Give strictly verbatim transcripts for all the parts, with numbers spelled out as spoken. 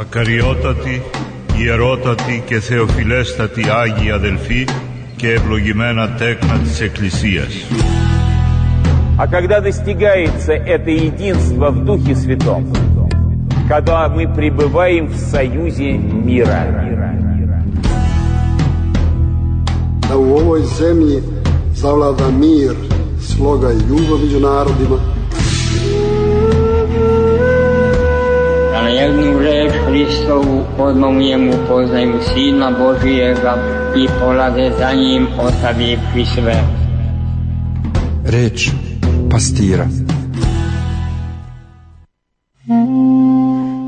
Ακαριότατοι, ιερότατοι και θεοφιλέστατοι Άγιοι αδελφοί και ευλογημένα τέκνα της Εκκλησίας. А когда достигается это единство в Духе Святом, когда мы пребываем в союзе мира. Da u ovoj zemlji zavlada mir, sloga i ljubav među narodima. Da na jednu reč Hristovu odmah u njemu poznaju Sina Božijega i polade za njim ostavivši sve. Reč pastira.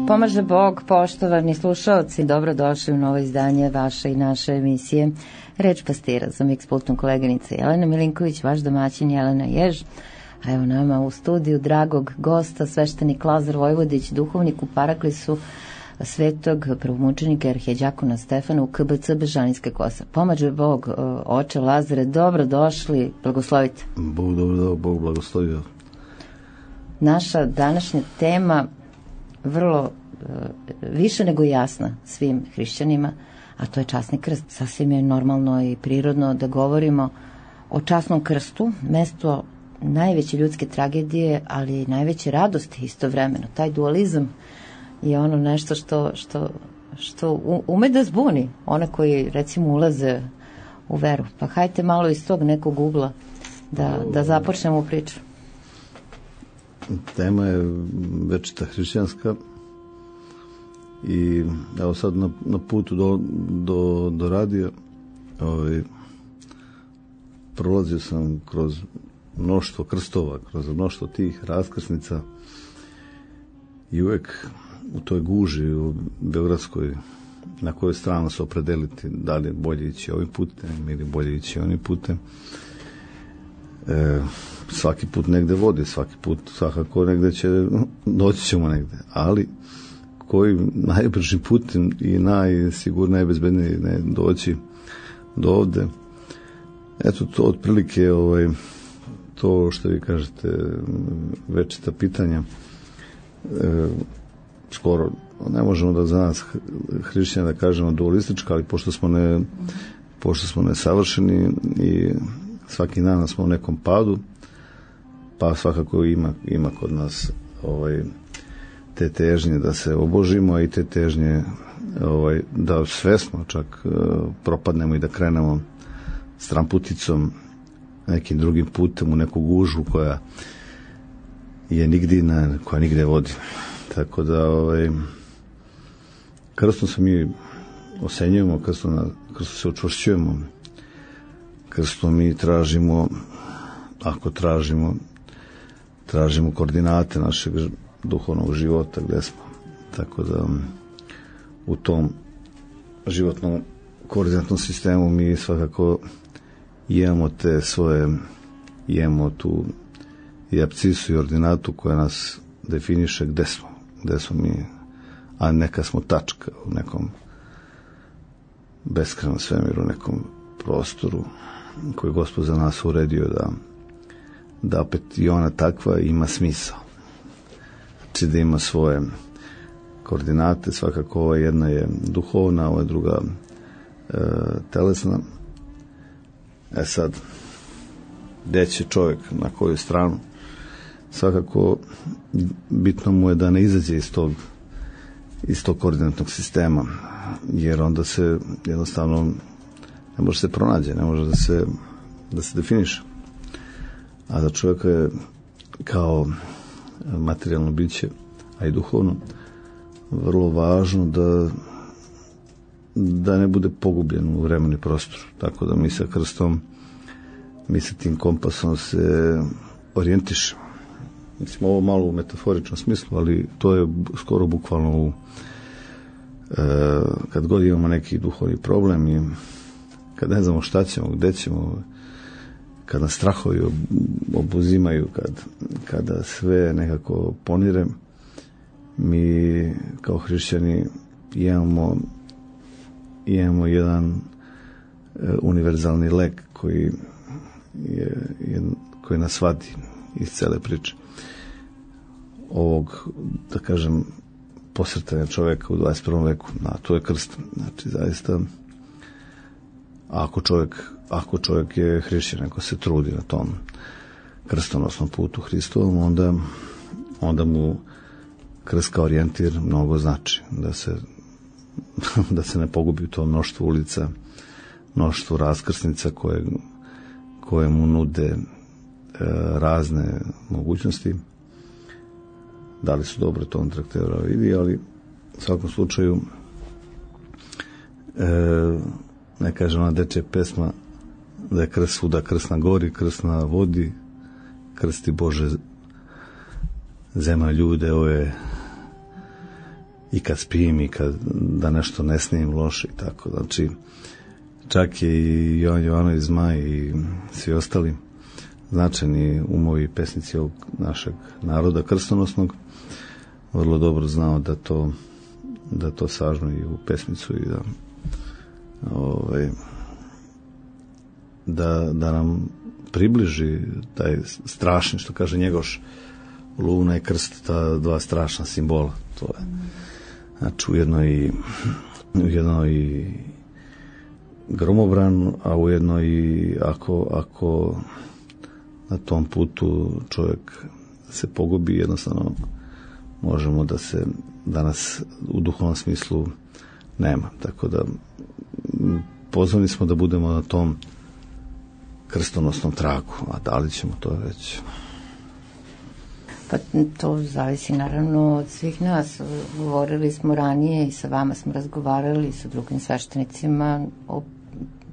Pomaže Bog, poštovani slušalci, dobrodošli u novo izdanje vaše i naše emisije Reč pastira. Za miks pultnom koleginica Jelena Milinković, vaš domaćin Jelena Jež, a evo nama u studiju dragog gosta, sveštenik Lazar Vojvodić, duhovnik u Paraklisu svetog prvomučenika arhijeđakona Stefana u K B C Bežanijska Kosa. Pomaže Bog, oče Lazare, dobrodošli, blagoslovite. Bog dobro, Bog blagoslovio. Naša današnja tema vrlo više nego jasna svim hrišćanima, a to je časni krst. Sasvim je normalno i prirodno da govorimo o časnom krstu, mesto najveće ljudske tragedije, ali i najveće radosti istovremeno. Taj dualizam je ono nešto što, što, što ume da zbuni one koji recimo ulaze u veru. Pa hajte malo iz tog nekog ugla da, da započnemo priču. Tema je večita hrišćanska i evo sad na, na putu do, do, do radija ovaj, prolazio sam kroz mnoštvo krstova, kroz mnoštvo tih raskrsnica i uvek u toj guži u Beogradskoj na kojoj stranu se opredeliti, da li je bolje ići ovim putem ili bolje ići onim putem. E, svaki put negde vodi, svaki put svakako negde će, doći ćemo negde, ali koji najbrži put i najsigurniji, najbezbedniji ne doći do ovde. Eto to otprilike ovaj, to što vi kažete večita pitanja e, skoro ne možemo da za nas hrišćana da kažemo dualistička, ali pošto smo ne pošto smo nesavršeni i svaki dan smo u nekom padu, pa svakako ima, ima kod nas ovaj, te težnje da se obožimo i te težnje ovaj, da svesno čak uh, propadnemo i da krenemo stramputicom nekim drugim putem u neku gužu koja je nigdje na, koja nigde vodi. Tako da ovaj, krstom se mi osenjujemo, krstom, na, krstom se učvršćujemo, krstom mi tražimo, ako tražimo, tražimo koordinate našeg duhovnog života gde smo. Tako da u tom životnom koordinatnom sistemu mi svakako imamo te svoje, imamo tu i apcisu i ordinatu koja nas definiše gde smo, gde smo mi, a neka smo tačka u nekom beskrajnom svemiru, nekom prostoru koji Gospod za nas uredio da da opet i ona takva ima smisao. Znači da ima svoje koordinate, svakako ova jedna je duhovna, ova je druga e, telesna. E sad, gde će čovjek, na koju stranu, svakako bitno mu je da ne izađe iz tog, iz tog koordinatnog sistema, jer onda se jednostavno ne može se pronađe, ne može da se, da se definiše. A za čovjeka je kao materijalno biće, a i duhovno, vrlo važno da da ne bude pogubljen u vremenu i prostoru. Tako da mi sa krstom, mi sa tim kompasom se orijentišemo. Mislim, ovo malo u metaforičnom smislu, ali to je skoro bukvalno u, e, kad god imamo neki duhovni problem i kad ne znamo šta ćemo, gde ćemo, kad nas strahovi obuzimaju, kad, kada sve nekako ponire, mi kao hrišćani imamo, imamo jedan e, univerzalni lek koji, je, je, koji nas vadi iz cele priče. Ovog, da kažem, posretanja čoveka u dvadeset prvom veku, a to je krst. Znači, zaista, ako čovjek, ako čovjek je hrišćan, ako se trudi na tom krstonosnom putu Hristovom, onda, onda mu krst kao orijentir mnogo znači, da se, da se ne pogubi u tom mnoštvu ulica, mnoštvu raskrsnica koje, koje mu nude e, razne mogućnosti. Da li su dobro, to on traktera vidi, ali u svakom slučaju e, ne kažem ona dečja pesma da je krst svuda, krst na gori, krst na vodi, krsti Bože zema ljude ove i kad spim i kad da nešto ne snijem loše i tako. Znači, čak je i Jovan Jovanović Zmaj i svi ostali značajni umovi pesnici ovog našeg naroda krstonosnog vrlo dobro znao da to da to sažme i u pesmicu i da ovaj, da, da nam približi taj strašni, što kaže Njegoš, luna i krst, ta dva strašna simbola. To je, znači, ujedno i ujedno i gromobran, a ujedno i ako, ako na tom putu čovjek se pogubi, jednostavno možemo da se danas u duhovnom smislu nema. Tako da pozvani smo da budemo na tom krstonosnom tragu, a da li ćemo to već? Pa to zavisi naravno od svih nas. Govorili smo ranije i sa vama smo razgovarali i sa drugim sveštenicima o,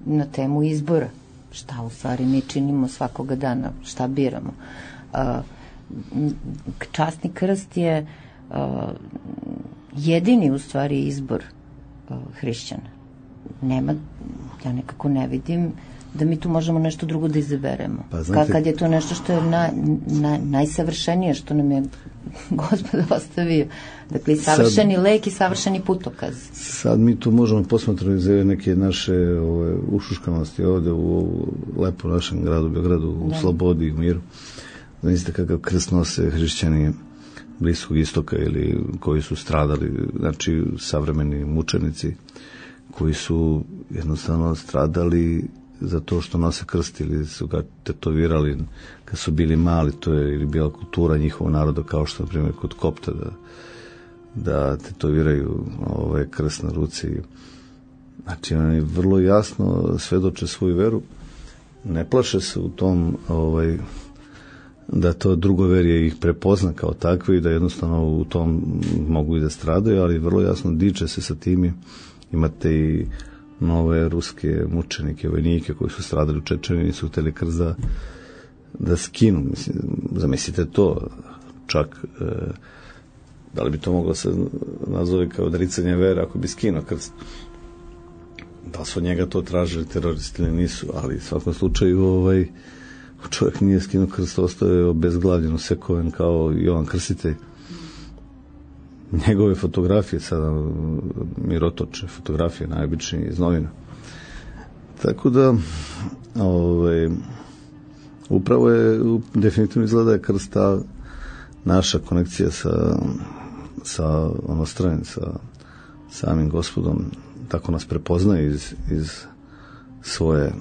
na temu izbora. Šta u stvari mi činimo svakoga dana, šta biramo. A, časni krst je a, jedini u stvari izbor a, hrišćana. Nema, ja nekako ne vidim da mi tu možemo nešto drugo da izaberemo. Pa, znate, kad je to nešto što je na, na, najsavršenije što nam je Gospod ostavio. Dakle, savršeni sad, lek i savršeni putokaz. Sad mi tu možemo posmatrati za neke naše ove, ušuškanosti ovde u lepo našem gradu, Beogradu, u da. Slobodi, u miru. Znate kakav krst nose hrišćani Bliskog istoka ili koji su stradali, znači savremeni mučenici koji su jednostavno stradali za to što nose krst ili su ga tetovirali kad su bili mali, to je ili bila kultura njihovog naroda, kao što na primjer kod Kopta da, da tetoviraju ovaj krst na ruci. Znači oni vrlo jasno svedoče svoju veru, ne plaše se u tom ovaj, da to drugoverje ih prepozna kao takve i da jednostavno u tom mogu i da stradaju, ali vrlo jasno diče se sa tim. Imate i nove ruske mučenike, vojnike koji su stradali u Čečeni i su hteli krst da, da skinu. Mislim, zamislite to, čak e, da li bi to moglo se nazove kao odricanje vere ako bi skinuo krst. Da su od njega to tražili teroristi ili nisu, ali u svakom slučaju ovaj, čovjek nije skinuo krst, ostao je obezglavljen, usekoven kao Jovan Krstitelj. Njegove fotografije sada mirotoče, fotografije najobičnije iz novina. Tako da ovaj, upravo je definitivno izgleda je krst ta naša konekcija sa sa onostranim, sa samim Gospodom, tako nas prepoznaje iz, iz svoje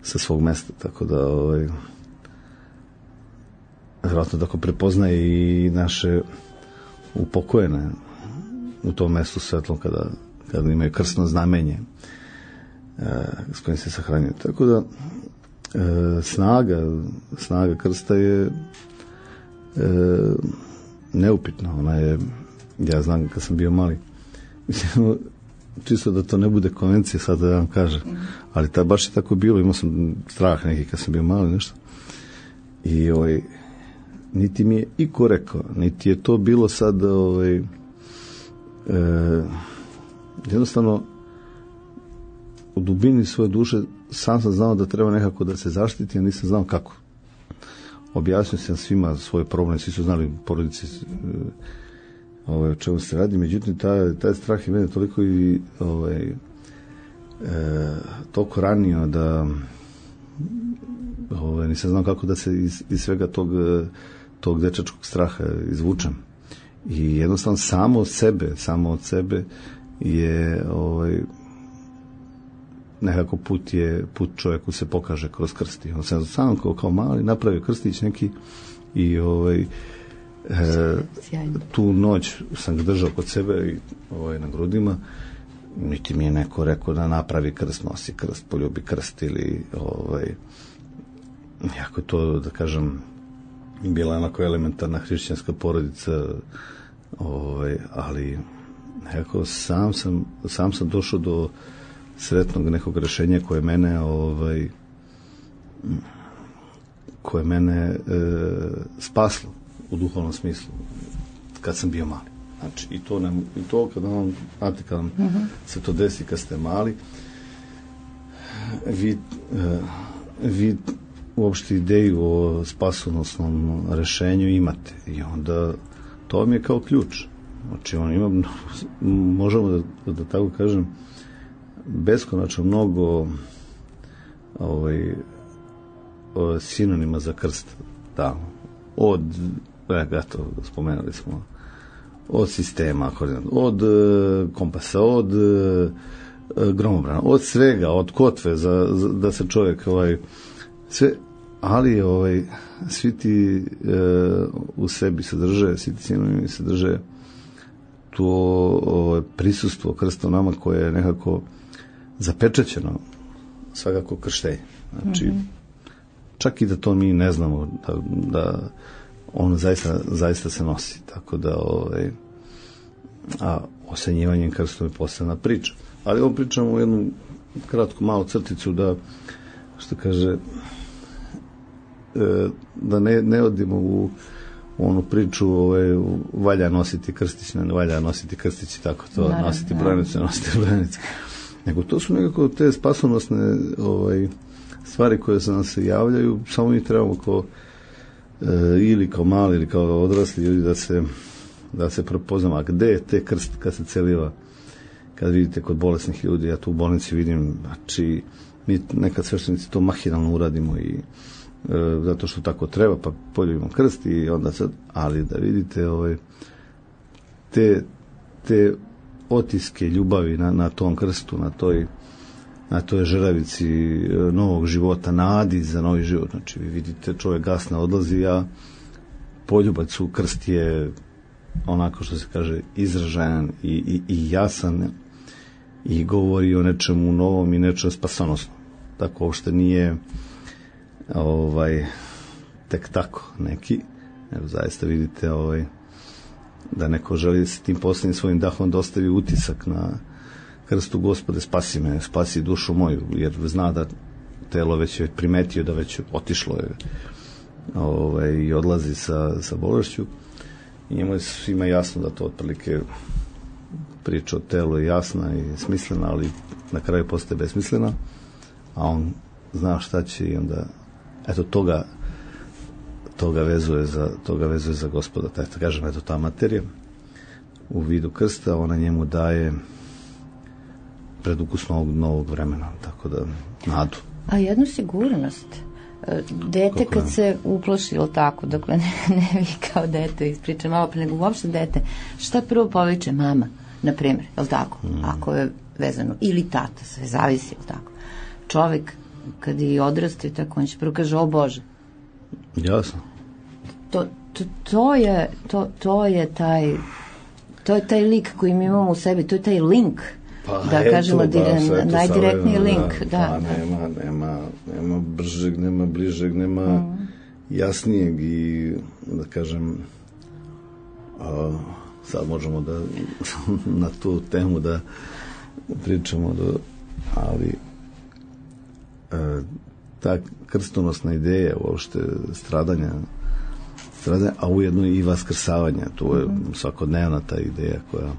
sa svog mesta, tako da ovaj, vjerojatno tako prepoznaje i naše upokojene u tom mestu svetlom kada, kada imaju krstno znamenje e, s kojim se sahranjuju. Tako da e, snaga snaga krsta je e, neupitna. Ona je, ja znam kad sam bio mali, mislim, čisto da to ne bude konvencija sad da vam kažem, ali ta baš je tako bilo, imao sam strah neki kad sam bio mali nešto i ovaj niti mi je iko rekao, niti je to bilo sad ovaj, e, jednostavno u dubini svoje duše sam sam znao da treba nekako da se zaštiti, a nisam znao kako. Objasnio sam svima svoj problem, svi su znali porodici ovaj, o čemu se radi, međutim taj, taj strah je mene toliko i ovaj, e, toliko ranio da ovaj, nisam znao kako da se iz, iz svega tog tog dečačkog straha izvučem. i jednostavno samo od sebe, samo od sebe je ovaj, nekako put je, put čovjeku se pokaže kroz krst. On sam sam kao, kao mali napravio krstić neki i ovaj, e, tu noć sam ga držao kod sebe i ovaj, na grudima, niti mi je neko rekao da napravi krst, nosi krst, poljubi krst ili ovaj, jako to da kažem bila onako elementarna hrišćanska porodica, ovaj, ali nekako sam sam, sam sam došao do sretnog nekog rešenja koje mene ovaj, koje mene e, spaslo u duhovnom smislu kad sam bio mali. Znači, i to, nam, i to kad vam, znate, kad vam uh-huh. se to desi kad ste mali, vi, e, vi uopšte ideju o spasonosnom rešenju imate i onda to vam je kao ključ. Znači, on ima, možemo da, da tako kažem, beskonačno mnogo ovaj, sinonima za krst. Da. Od, eto, spomenuli smo, od sistema, od kompasa, od gromobrana, od svega, od kotve, za, za, da se čovjek ovaj, sve, ali ovaj, svi ti e, u sebi sadrže, svi ti sinonimi sadrže to ovaj, prisustvo krsta nama koje je nekako zapečećeno svakako krštenje. Znači, mm-hmm. čak i da to mi ne znamo, da, da on zaista, zaista se nosi. Tako da, ovaj, a osenjivanjem krstom je posebna priča. Ali ovo pričamo u jednu kratku malu crticu da, što kaže, da ne, ne odimo u onu priču ovaj, valja nositi krstić, ne valja nositi krstić i tako to, naravno, nositi brojnicu, nositi brojnicu. Nego to su nekako te spasonosne ovaj, stvari koje se nam se javljaju, samo mi trebamo kao e, ili kao mali ili kao odrasli ljudi da se, da se prepoznamo. A gde je te krst kad se celiva, kad vidite kod bolesnih ljudi, ja tu u bolnici vidim, znači mi nekad sveštenici to mahinalno uradimo i e, zato što tako treba, pa poljubimo krst i onda sad, ali da vidite ovaj, te, te otiske ljubavi na, na tom krstu, na toj, na toj žeravici novog života, nadi za novi život. Znači, vi vidite, čovjek gasna odlazi, a poljubac u krst je onako što se kaže izražajan i, i, i jasan i govori o nečemu novom i nečemu spasonosnom. Tako uopšte nije ovaj, tek tako neki, nego zaista vidite ovaj, da neko želi s tim posljednjim svojim dahom da ostavi utisak na krstu Gospode, spasi me, spasi dušu moju, jer zna da telo već je primetio da već otišlo je ovaj, i odlazi sa, sa bolešću i njemu je svima jasno da to otprilike priča o telu je jasna i smislena, ali na kraju postaje besmislena, a on zna šta će i onda eto toga toga vezuje za, toga vezuje za Gospoda. Tako kažem, eto ta materija u vidu krsta, ona njemu daje predukus novog, novog vremena, tako da nadu. A jednu sigurnost. Dete kako kad je? Se uplaši, ili tako, dakle ne, ne vi kao dete ispričam malo pre, nego uopšte dete, šta prvo poviče mama, na primjer, je li tako? Mm. Ako je vezano, ili tata, sve zavisi, je li tako? Čovjek kad je odrastao, tako on će prvo kaže, o Bože. Jasno. To, to, to je to, to je taj to je taj lik koji mi imamo u sebi, to je taj link, pa da eto, kažemo da, najdirektniji link, da, da, pa nema, nema, nema bržeg, nema bližeg, nema mm. jasnijeg i da kažem a, sad možemo da na tu temu da pričamo do, ali a, ta krstonosna ideja uopšte stradanja, stradanja, a ujedno i vaskrsavanja, to je svakodnevna ta ideja koja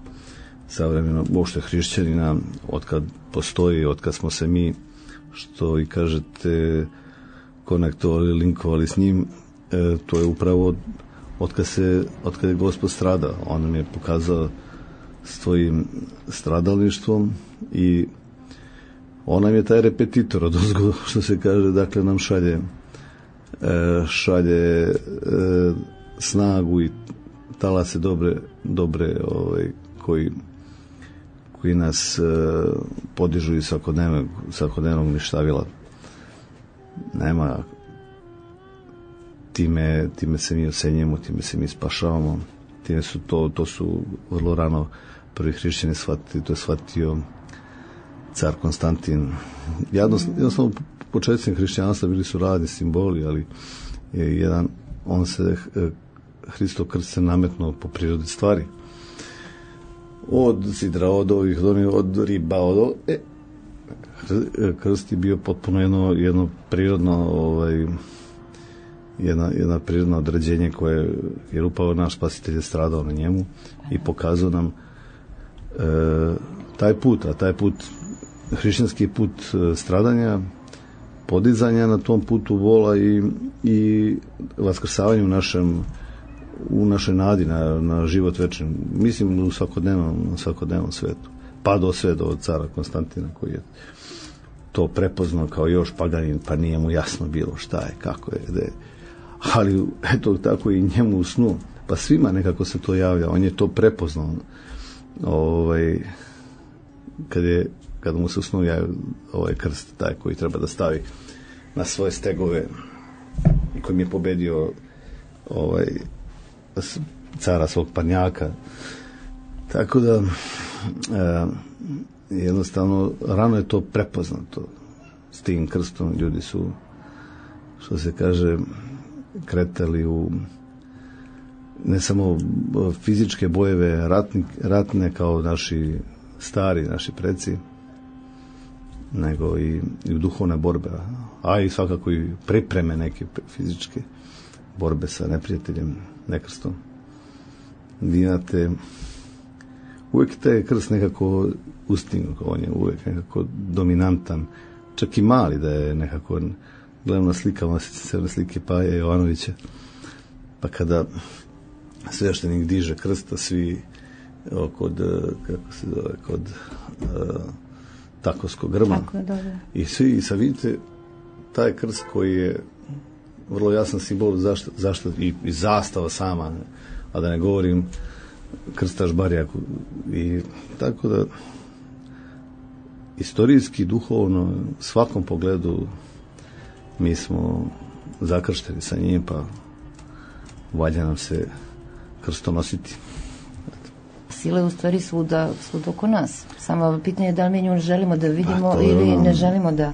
savremeno, uopšte hrišćanina, otkad postoji, otkad smo se mi, što i kažete, konektovali, linkovali s njim, e, to je upravo od, otkad, se, otkad je Gospod stradao. On nam je pokazao svojim stradalništvom i on nam je taj repetitor od ozgo, što se kaže, dakle nam šalje e, šalje e, snagu i talase dobre, dobre ovaj, koji, koji nas uh, podižu iz svakodnevnog, svakodnevnog ništavila. Nema, time, time se mi osenjujemo, time se mi spašavamo, time su to, to su vrlo rano prvi hrišćani shvatili, to je shvatio car Konstantin. Jednostavno, početcima hrišćanstva bili su radni simboli, ali je jedan, on se, Hristov krst se nametnuo po prirodi stvari. Od sidra, od ovih, od riba, od e, krst je bio potpuno jedno, jedno prirodno ovaj, jedna, jedna prirodno određenje koje je upravo naš spasitelj je stradao na njemu i pokazao nam e, taj put, a taj put hrišćanski put stradanja, podizanja na tom putu vola i, i vaskrsavanja u našem u našoj nadi na, na život večni. Mislim u svakodnevnom, na svakodnevnom svetu. Pa do sve do cara Konstantina koji je to prepoznao kao još paganin, pa nije mu jasno bilo šta je, kako je, gde je. Ali eto tako i njemu u snu. Pa svima nekako se to javlja. On je to prepoznao. Ovaj, kad je kada mu se u snu javio ovaj krst, taj koji treba da stavi na svoje stegove i koji mi je pobedio ovaj cara svog parnjaka. Tako da e, jednostavno rano je to prepoznato. S tim krstom ljudi su, što se kaže, kretali u ne samo fizičke bojeve ratni, ratne kao naši stari, naši preci, nego i, i u duhovne borbe, a i svakako i pripreme neke fizičke borbe sa neprijateljem, nekrstom. Vi imate uvijek taj krst nekako ustignu, on je uvijek nekako dominantan, čak i mali da je nekako, gledam na slikama crne slike Paje Jovanovića, pa kada sveštenik diže krsta, svi kod, kako se zove, kod uh, Takovskog grma. Tako je, dobro. I svi, i sad vidite, taj krst koji je vrlo jasan simbol zašto, zašto i, i zastava sama, a da ne govorim krstaš barjak. I tako da istorijski, duhovno, svakom pogledu mi smo zakršteni sa njim, pa valja nam se krstom nositi. Sila je u stvari svuda, svuda oko nas. Samo pitanje je da li mi nju želimo da vidimo pa, ili ono... ne želimo da,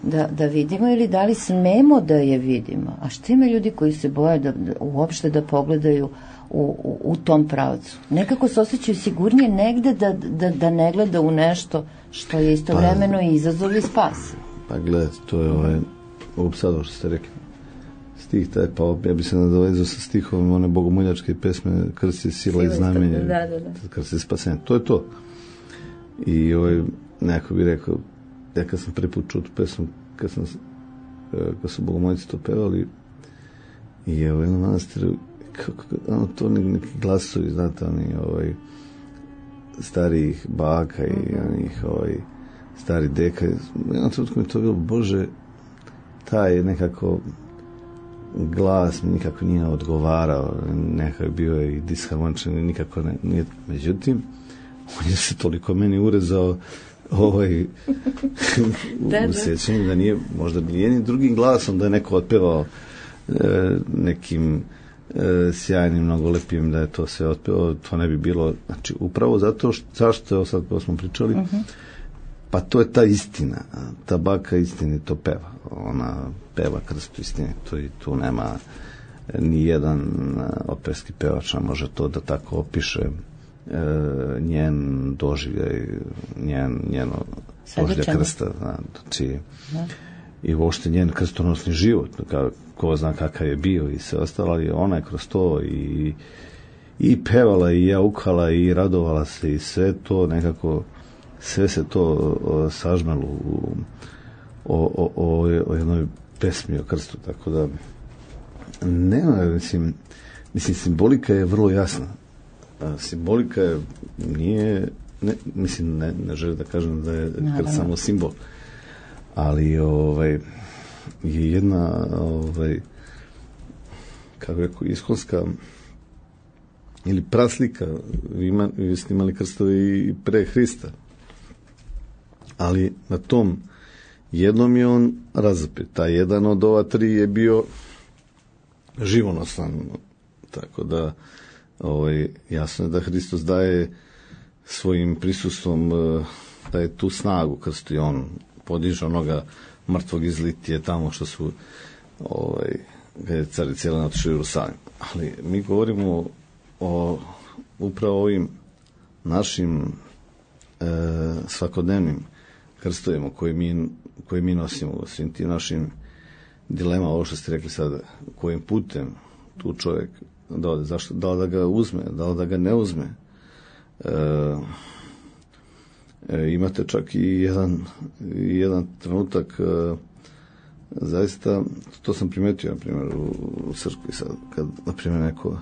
da, da vidimo ili da li smemo da je vidimo. A što ima ljudi koji se boje da, da uopšte da pogledaju u, u, u tom pravcu? Nekako se osjećaju sigurnije negde da, da, da ne gleda u nešto što je istovremeno pa, i izazov i spas. Pa gledajte, to je ovaj, ovo sad što ste rekli. Stih taj, pa ja bi se nadovezao sa stihom one bogomoljačke pesme krst je sila i znamenje, da, da, da. krst je spasenje. To je to. I ovaj, neko bi rekao, ja kad sam prvi put čuo tu pesmu, kad, sam, kad su bogomoljici to pevali, i je u jednom manastiru, kako, ono, to neki glasovi, znate, oni ovaj, starijih baka i mm-hmm. onih ovaj, stari deka. Jednom trenutku mi to bilo, Bože, taj nekako glas mi nikako nije odgovarao, nekako je bio i disharmoničan, nikako ne, nije. Međutim, on je se toliko meni urezao ovaj, u sjećanju da nije, možda bi jednim drugim glasom da je neko otpevao e, nekim e, sjajnim, mnogo lepim, da je to sve otpevao, to ne bi bilo, znači upravo zato što, zašto je sad ko smo pričali, uh-huh. pa to je ta istina, ta baka istine to peva, ona peva krstu istine, to i tu nema ni jedan operski pevač može to da tako opiše e, njen doživljaj, njen, njeno doživljaj krsta, znači da. I uopšte njen krstonosni život, ka, ko zna kakav je bio i sve ostalo, ali ona je kroz to i, i pevala i jaukala i radovala se i sve to nekako, sve se to o, sažmelo u o, o, o, o jednoj pesmi o krstu, tako da nema, mislim, mislim simbolika je vrlo jasna. A, simbolika je, nije, ne, mislim, ne, ne želim da kažem da je krst samo simbol, ali ovaj, je jedna ovaj, kako rekao, iskonska ili praslika, vi, ima, vi ste imali krstove i pre Hrista, ali na tom jednom je on razapet, taj jedan od ova tri je bio živonosan, tako da ovaj, jasno je da Hristos daje svojim prisustvom, daje tu snagu krstu i on podiže onoga mrtvog iz Litije tamo što su ovaj, kada je car cijela otišao u Jerusalim. Ali mi govorimo o upravo ovim našim e, svakodnevnim krstovima koje mi, koje mi nosimo, svim tim našim dilema, ovo što ste rekli sada, kojim putem tu čovjek da ode, zašto, da li da ga uzme, da li da ga ne uzme. E, e, imate čak i jedan, jedan trenutak, e, zaista, to sam primetio, na primjer, u, u crkvi sad, kad, na primjer, neko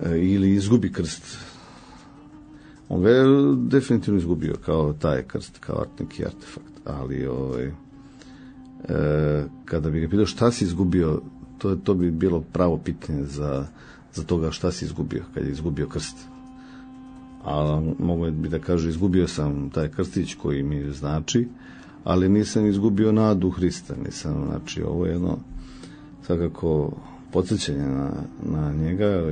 e, ili izgubi krst, on ga je definitivno izgubio kao taj krst, kao neki artefakt, ali ovaj, e, kada bi ga pitao šta si izgubio, to, to bi bilo pravo pitanje za, za toga šta si izgubio, kad je izgubio krst. A mogu bi da kažu, izgubio sam taj krstić koji mi znači, ali nisam izgubio nadu Hrista, nisam, znači ovo je jedno svakako podsjećanje na, na njega,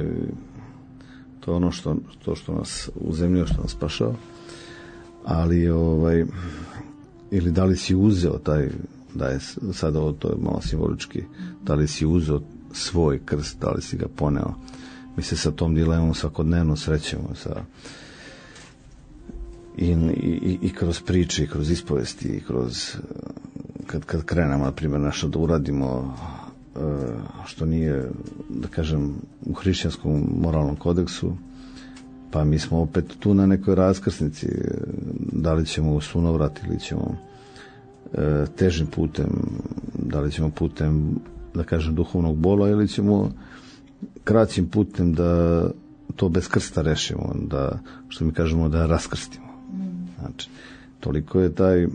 to je ono što, to što nas uzemljio, što nas spašao, ali ovaj, ili da li si uzeo taj, da je sada ovo to je malo simbolički, da li si uzeo svoj krst, da li si ga poneo. Mi se sa tom dilemom svakodnevno srećemo sa i, i, i kroz priče, i kroz ispovesti, i kroz kad, kad krenemo, na primjer, nešto da uradimo što nije, da kažem, u hrišćanskom moralnom kodeksu, pa mi smo opet tu na nekoj raskrsnici, da li ćemo u sunovrat ili ćemo e, težim putem, da li ćemo putem, da kažem, duhovnog bola ili ćemo kraćim putem da to bez krsta rešimo, da, što mi kažemo, da raskrstimo. Znači, toliko je taj e,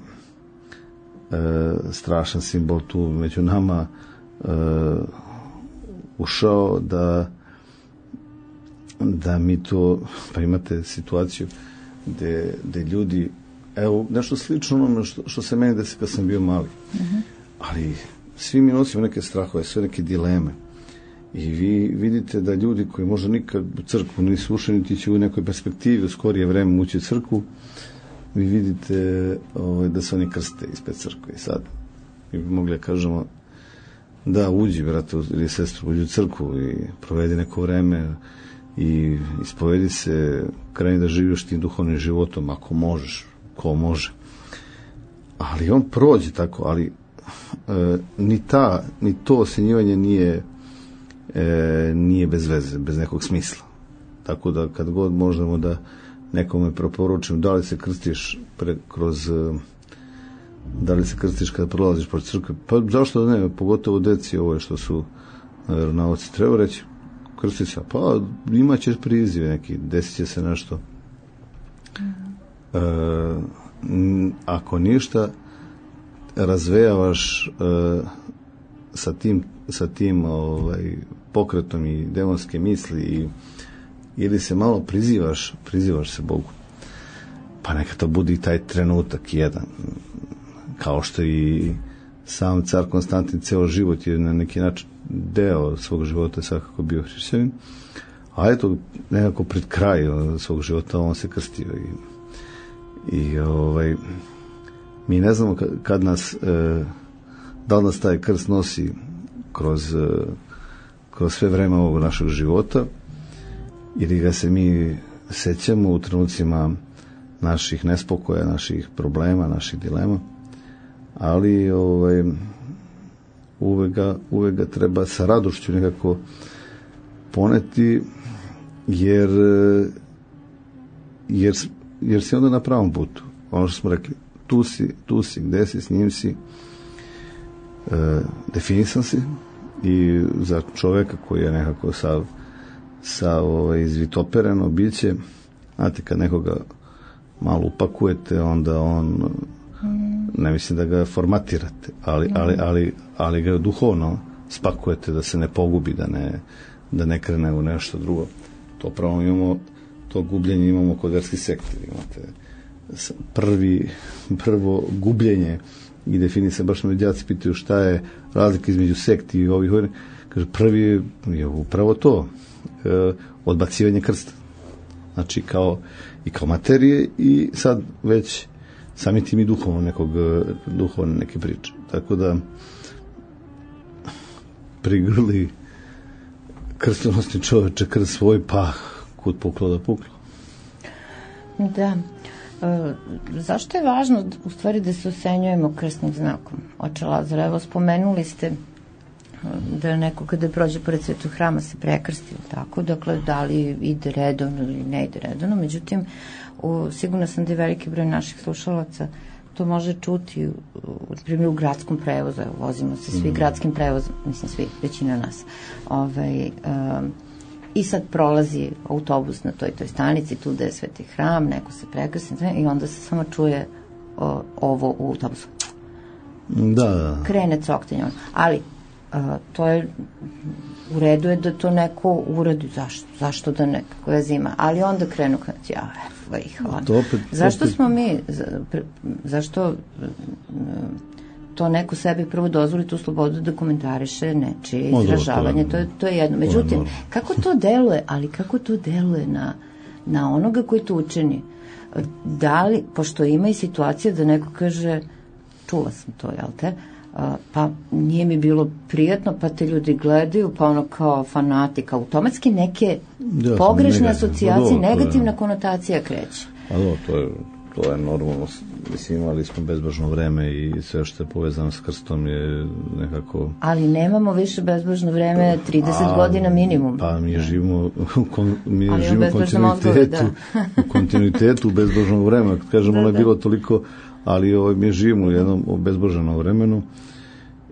strašan simbol tu među nama Uh, ušao da da mi to, pa imate situaciju gde, gde ljudi, evo nešto slično onome što, što se meni desi kad sam bio mali, uh-huh. ali svi mi nosimo neke strahove, sve neke dileme i vi vidite da ljudi koji možda nikad u crkvu nisu ušli, niti će u nekoj perspektivi u skorije vreme ući u crkvu, vi vidite ovaj, da se oni krste ispred crkve. I sad mi bi mogli da kažemo da, uđi, brate, ili sestru, uđi u crkvu i provedi neko vreme i ispovedi se, kreni da živiš tim duhovnim životom, ako možeš, ko može. Ali on prođe tako, ali e, ni ta, ni to osenjivanje nije, e, nije bez veze, bez nekog smisla. Tako da kad god možemo da nekome preporučimo, da li se krstiš pre, kroz... da li se krstiš kada prolaziš pored crkve, pa zašto ne, pogotovo deci ove što su veronauci, treba reći krsti se, pa imat ćeš priziv neki, desit će se nešto. E, ako ništa razvejavaš e, sa tim, sa tim ovaj, pokretom i demonske misli i, ili se malo prizivaš, prizivaš se Bogu, pa neka to bude i taj trenutak jedan, kao što i sam car Konstantin ceo život je na neki način deo svog života svakako bio hrišćanin, a eto nekako pred kraj svog života on se krstio i, i ovaj, mi ne znamo kad nas e, da li nas taj krst nosi kroz, e, kroz sve vreme ovog našeg života ili ga se mi sećamo u trenucima naših nespokoja, naših problema, naših dilema, ali ovaj, uvek ga, uvek ga treba sa radošću nekako poneti, jer, jer, jer si onda na pravom putu. Ono što smo rekli, tu si, tu si, gde si, s njim si, e, definisan si i za čoveka koji je nekako sav, sav ovaj, izvitopereno biće, znate, kad nekoga malo upakujete, onda on, ne mislim da ga formatirate, ali, ali, ali, ali ga duhovno spakujete da se ne pogubi, da ne, da ne krene u nešto drugo. To pravo imamo, to gubljenje imamo kod verskih sekti. Imate prvi, prvo gubljenje i definisano, baš me djaci pitaju šta je razlika između sekti i ovih, kaže, prvi je upravo to, e, odbacivanje krsta. Znači, kao, i kao materije i sad već sami tim i duhovno nekog, duhovne neke priče. Tako da prigrli krstonosni čoveče krst svoj, pa kud puklo da puklo. Da. E, zašto je važno u stvari da se osenjujemo krstnim znakom? Oče Lazare, evo spomenuli ste da je neko kada prođe pored Svetog hrama se prekrsti, tako, dakle, da li ide redovno ili ne ide redovno, međutim, u, sigurno sam da je veliki broj naših slušalaca to može čuti, u, u primjer, u gradskom prevozu, evo, vozimo se svi mm. gradskim prevozom, mislim, svi, većina nas, ovaj, um, i sad prolazi autobus na toj toj stanici, tu da je Sveti hram, neko se prekrsti, i onda se samo čuje o, ovo u autobusu. Da, da. Krene coktenje, ali a, to je, u redu je da to neko uradi, zašto, zašto da nekako je zima, ali onda krenu, ja, ih, opet, zašto opet... smo mi, za, pre, zašto to neko sebi prvo dozvoli tu slobodu da komentariše nečije izražavanje, to je, to je jedno. Međutim, kako to deluje, ali kako to deluje na, na onoga koji to učini? Da li, pošto ima i situacija da neko kaže, čula sam to, jel te, pa nije mi bilo prijatno, pa te ljudi gledaju, pa ono kao fanatik, automatski neke ja, pogrešne negativ, asocijacije, do, negativna je, konotacija kreće. A do, to je, to je normalno, mislim, imali smo bezbožno vreme i sve što je povezano s krstom je nekako... Ali nemamo više bezbožno vreme, trideset a, godina minimum. Pa mi živimo u, kon, mi živimo u kontinuitetu, da. u kontinuitetu bezbožnog vremena, kad kažemo, da, ono je bilo toliko... ali ovaj, mi živimo u jednom obezboženom vremenu.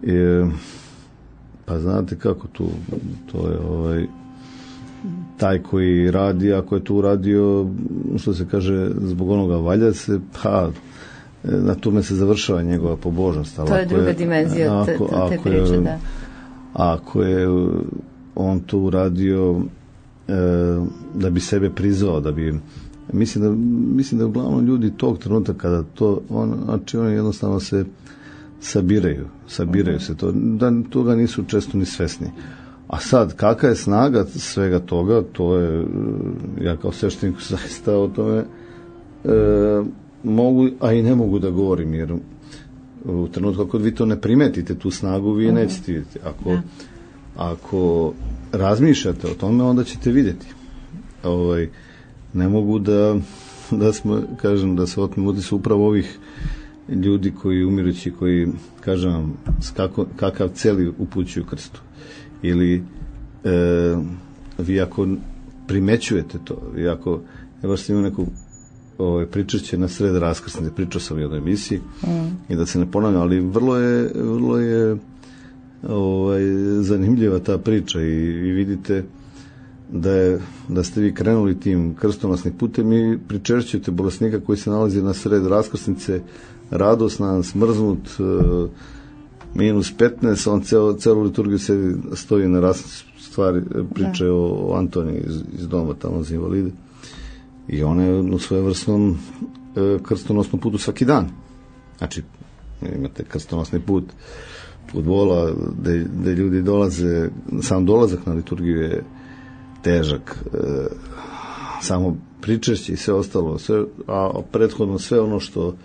E, pa znate kako tu, to je ovaj, taj koji radi, ako je tu uradio, što se kaže, zbog onoga valja se, pa na tome se završava njegova pobožnost. To je druga je, dimenzija te, te, te priče, je, da. Ako je on to uradio e, da bi sebe prizvao, da bi Mislim da, mislim da uglavnom ljudi tog trenutka kada to, on, znači oni jednostavno se sabiraju, sabiraju se, to, da toga nisu često ni svesni. A sad, kakva je snaga svega toga, to je, ja kao sveštenik zaista o tome e, mogu, a i ne mogu da govorim, jer u trenutku ako vi to ne primetite, tu snagu, vi je nećete vidjeti. Ako, ja. ako razmišljate o tome, onda ćete vidjeti. Ovaj, ne mogu da, da smo, kažem, da se otmem utisak upravo ovih ljudi koji umirući, koji, kažem vam, kako, kakav celi upućuju krstu. Ili e, vi ako primećujete to, vi ako, ja baš sam imao neku ovaj, pričašće na sred raskrsnice, pričao sam u jednoj emisiji mm. i da se ne ponavljam, ali vrlo je, vrlo je ovaj, zanimljiva ta priča i, i vidite da, je, da ste vi krenuli tim krstonosnim putem i pričešćujete bolesnika koji se nalazi na sred raskrsnice, radosnan, smrznut, minus petnaest, on celo, celu liturgiju se stoji na raskrsnici, stvari, priče da. o, o Antoniji iz, iz doma tamo za invalide. I ona je u svojevrsnom e, krstonosnom putu svaki dan. Znači, imate krstonosni put fudbola, gde, gde ljudi dolaze, sam dolazak na liturgiju je težak, e, samo pričešće i sve ostalo, sve, a prethodno sve ono što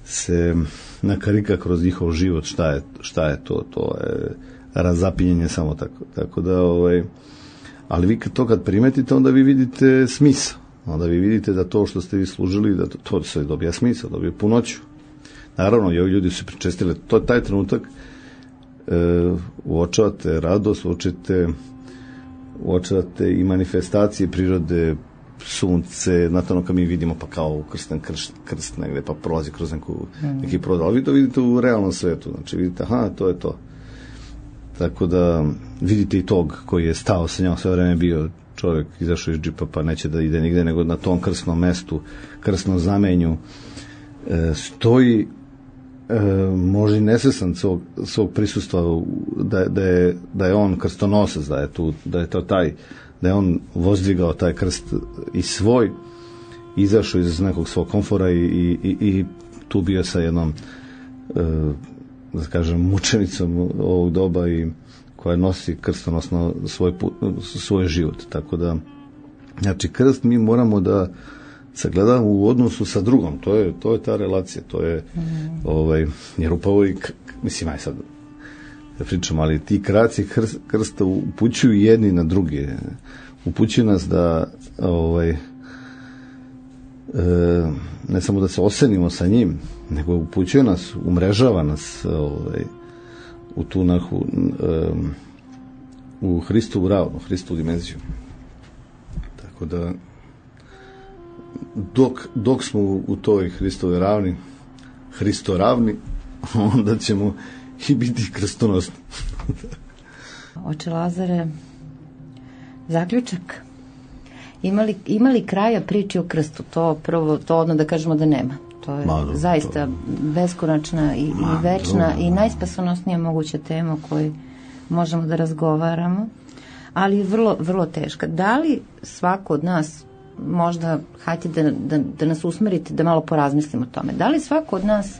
se nakarika kroz njihov život, šta je, šta je to, to je razapinjenje samo tako. Tako da, ovaj, ali vi to kad primetite, onda vi vidite smisao. Onda vi vidite da to što ste vi služili, da to, to se dobija smisao, dobija punoću. Naravno, i ovi ljudi su pričestili, to je taj trenutak, e, uočavate radost, uočite uočavate i manifestacije prirode, sunce, znate ono kad mi vidimo pa kao krsten krst, krst negde, pa prolazi kroz neku, neki prodal, ali vi to vidite u realnom svetu, znači vidite, aha, to je to. Tako da vidite i tog koji je stao sa njom, sve vreme bio čovjek, izašao iz džipa pa neće da ide nigde, nego na tom krstnom mestu, krstnom zamenju e, stoji e, možda i nesvestan svog, svog prisustva da, da, je, da je on krstonosac, da je tu, da je to taj da je on vozdigao taj krst i svoj, izašao iz nekog svog komfora i, i, i tu bio sa jednom e, da kažem mučenicom ovog doba i koja nosi krstonosno svoj, svoj život. Tako da, znači krst mi moramo da sagledamo u odnosu sa drugom, to je, to je ta relacija, to je mm. ovaj, jer upravo i, mislim, aj sad da pričam, ali ti kraci krst, krsta upućuju jedni na druge, upućuju nas da ovaj, e, ne samo da se osenimo sa njim, nego upućuje nas, umrežava nas ovaj, u tu nahu e, u Hristovu ravnu, Hristovu dimenziju. Tako da dok, dok smo u toj Hristovoj ravni, Hristo ravni, onda ćemo i biti krstonosni. Oče Lazare, zaključak. Imali, imali kraja priči o krstu? To prvo, to odno da kažemo da nema. To je Ma, zaista to... beskonačna i, Ma, i večna dobro. I najspasonosnija moguća tema o kojoj možemo da razgovaramo, ali vrlo, vrlo teška. Da li svako od nas, možda, hajte da, da, da nas usmerite, da malo porazmislimo o tome, da li svako od nas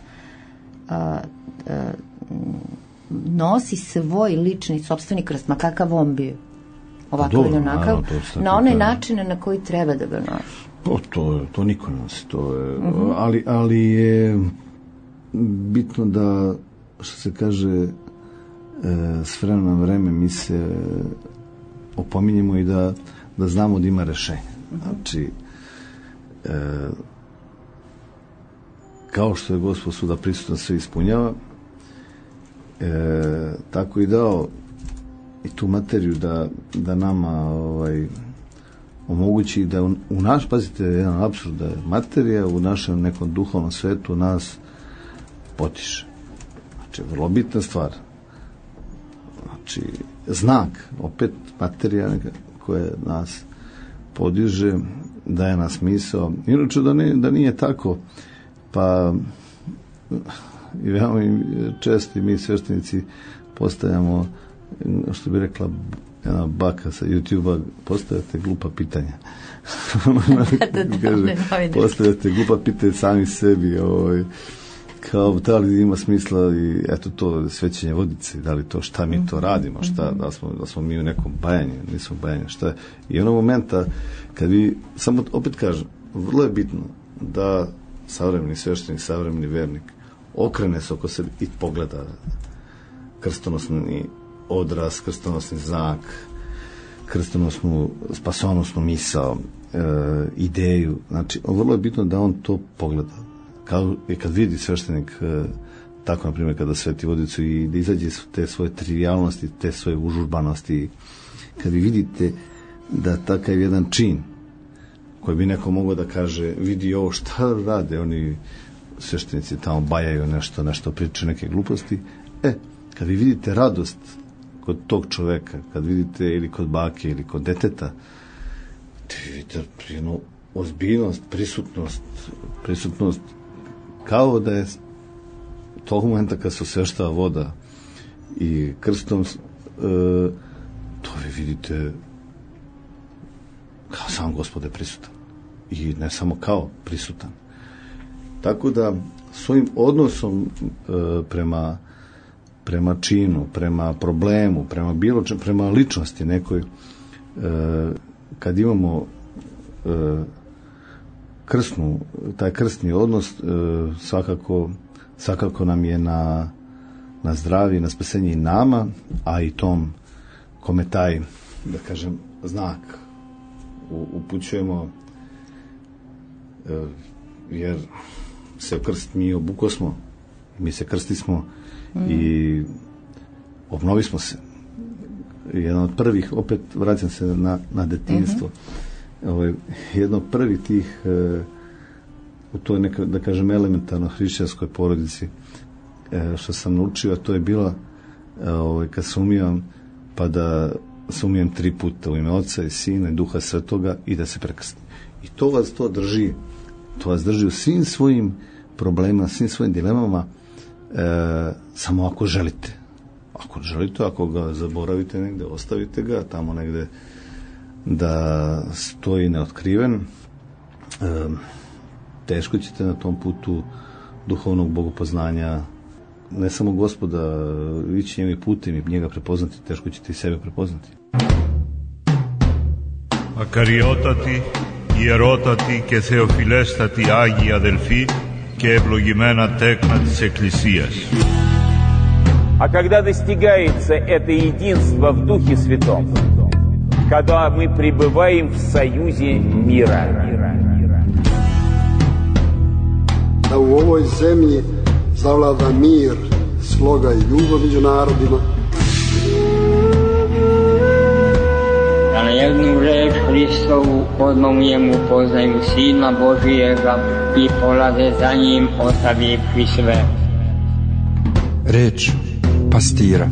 a, a, nosi svoj lični, sopstveni krst, ma kakav on bio, ovakav ili onakav, na one načine na koji treba da ga nosi? O, to, to niko nosi, to je, uh-huh. ali, ali je bitno da, što se kaže, e, s vremena na vreme mi se opominjemo i da, da znamo da ima rešenje. Uh-huh. Znači, e, kao što je Gospod svuda prisutan, sve ispunjava, e, tako i dao i tu materiju da, da nama ovaj, omogući da u, u naš, pazite, jedan apsurd, da je materija u našem nekom duhovnom svetu nas potiše. Znači, vrlo bitna stvar. Znači, znak, opet materija koja nas podiže, daje nas smisao. Inače, da, ne, da nije tako, pa i veoma često mi sveštenici postavljamo, što bi rekla jedna baka sa YouTube-a, postavljate glupa pitanja. Kaže, postavljate glupa pitanja sami sebi, ovaj, kao da li ima smisla i eto to svećenje vodice, da li to, šta mi to radimo, šta, da smo, da smo mi u nekom bajanju, nismo bajanju, šta je. I onog momenta, kad vi, samo opet kažem, vrlo je bitno da savremeni sveštenik, savremeni vernik okrene se oko sebe i pogleda krstonosni odraz, krstonosni znak, krstonosnu, spasonosnu misao, e, ideju. Znači, vrlo je bitno da on to pogleda. Kao i kad vidi sveštenik, e, tako, na primjer, kada sveti vodicu i da izađe te svoje trivialnosti, te svoje užurbanosti, kad vi vidite da takav jedan čin, koji bi neko mogao da kaže, vidi ovo, šta rade oni sveštenici tamo, bajaju nešto, nešto pričaju, neke gluposti, e, kad vi vidite radost kod tog čoveka, kad vidite ili kod bake ili kod deteta, vidite jednu ozbiljnost, prisutnost, prisutnost, kao da je tog momenta kad se osveštava voda i krstom, e, to vi vidite kao sam Gospod je prisutan. I ne samo kao prisutan. Tako da svojim odnosom e, prema prema činu, prema problemu, prema bilo čem, prema ličnosti nekoj, e, kad imamo e, krstnu, taj krstni odnos, e, svakako, svakako nam je na, na zdravlje, na spasenje i nama, a i tom kome taj, da kažem, znak upućujemo, e, jer se krst mi obuko smo, mi se krsti smo, Mm. i obnovi smo se. Jedan od prvih, opet vraćam se na, na detinjstvo, mm-hmm. ovaj, jedno od prvih tih e, u toj neka, da kažem, elementarno hrišćanskoj porodici e, što sam naučio, to je bila e, ovaj, kad se umijem, pa da se umijem tri puta u ime Oca i Sina i Duha Svetoga i da se prekrstim. I to vas to drži, to vas drži u svim svojim problemima, svim svojim dilemama. E, samo ako želite, ako želite, ako ga zaboravite negde, ostavite ga tamo negde, da stoji neotkriven. E, teško ćete na tom putu duhovnog bogopoznanja ne samo Gospoda ići njim i putem i njega prepoznati, teško ćete i sebe prepoznati. Ακαριότατοι, ιερότατοι και θεοφιλέστατοι Άγιοι αδελφοί και ευλογημένα τέκνα της Εκκλησίας. А когда достигается это единство в Духе Святом, когда мы пребываем в союзе мира. Da u ovoj zemlji zavlada mir, sloga i ljubav među narodima. Da na jednu reč Hristovu odmah u njemu poznaju Sina Božijega i polaze za njim ostavivši sve. Reč pastira.